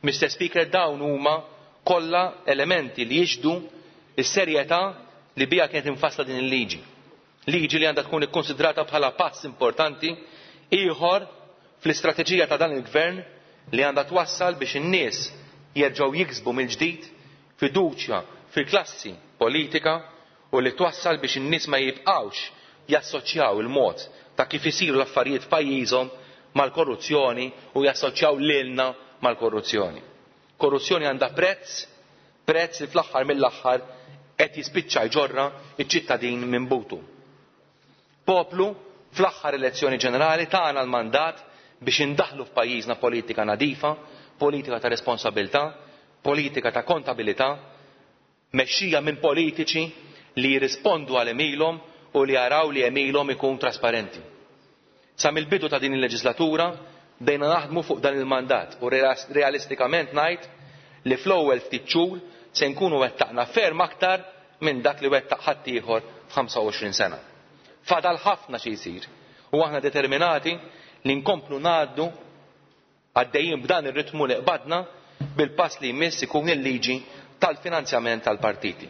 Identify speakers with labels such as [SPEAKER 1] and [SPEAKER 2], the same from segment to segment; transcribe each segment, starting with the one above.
[SPEAKER 1] Mister Speaker, dawn huma kollha elementi li jixhdu s-serjetà li biha kienet imfassla din il-liġi. Liġi li għandha tkun ikkunsidrata bħala pass importanti ieħor fl-istrateġija ta' dan il-Gvern li għandha twassal biex in-nies jerġgħu jiksbu mill-ġdid fiduċja fil-klassi politika u li twassal biex in-nies ma jibqgħux jassoċjaw il-mod ta' kif isiru l-affarijiet f'pajjiżhom mal-korruzzjoni u jassoċjaw lilna mal-korruzzjoni. Korruzzjoni għandha prezz, prezz li fl-aħħar mill-aħħar qed jispiċċa jġorrha ċ-ċittadin minn butu. Poplu fl-aħħar elezzjoni ġenerali tana l-mandat biex indaħħlu f'pajjiżna politika nadifa, politika ta' responsabilità, politika ta' kontabilità, mexxija minn politiċi li jirrispondu għal għemilhom u li jaraw li għemilhom ikun trasparenti. Sa mill-bidu ta' din il-leġislatura bdejna naħdmu fuq dan il-mandat u realistikament ngħid li fl-ewwel ftit xhur se nkunu wettaqna ferm aktar minn dak li wettaq ħaddieħor f'25 sena. Fadal ħafna xi jsir u aħna determinati li nkomplu ngħaddu Għaddejjin b'dan ir-ritmu li qbadna, bil-pass li jmiss ikun il-liġi tal-finanzjament tal-partiti.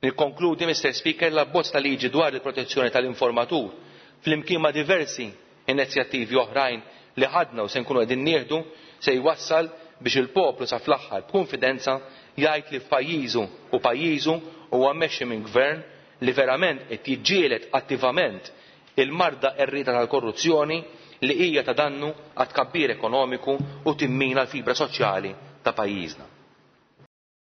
[SPEAKER 1] Nikkonkludi, Mister Speaker, l-abbozz ta' liġi dwar il-protezzjoni tal-informatur flimkien ma' diversi inizjattivi oħrajn li ħadna u se nkunu qegħdin nieħdu se jwassal biex il-poplu sa fl-aħħar b'kunfidenza jgħid li f'pajjiżu u pajjiżu huwa mmexxi minn Gvern li verament qed jiġġieled attivament il-marda qerrieda tal-korruzzjoni li hija ta' dannu għat-tkabbir ekonomiku u timmina l-fibra soċjali ta' pajjiżna.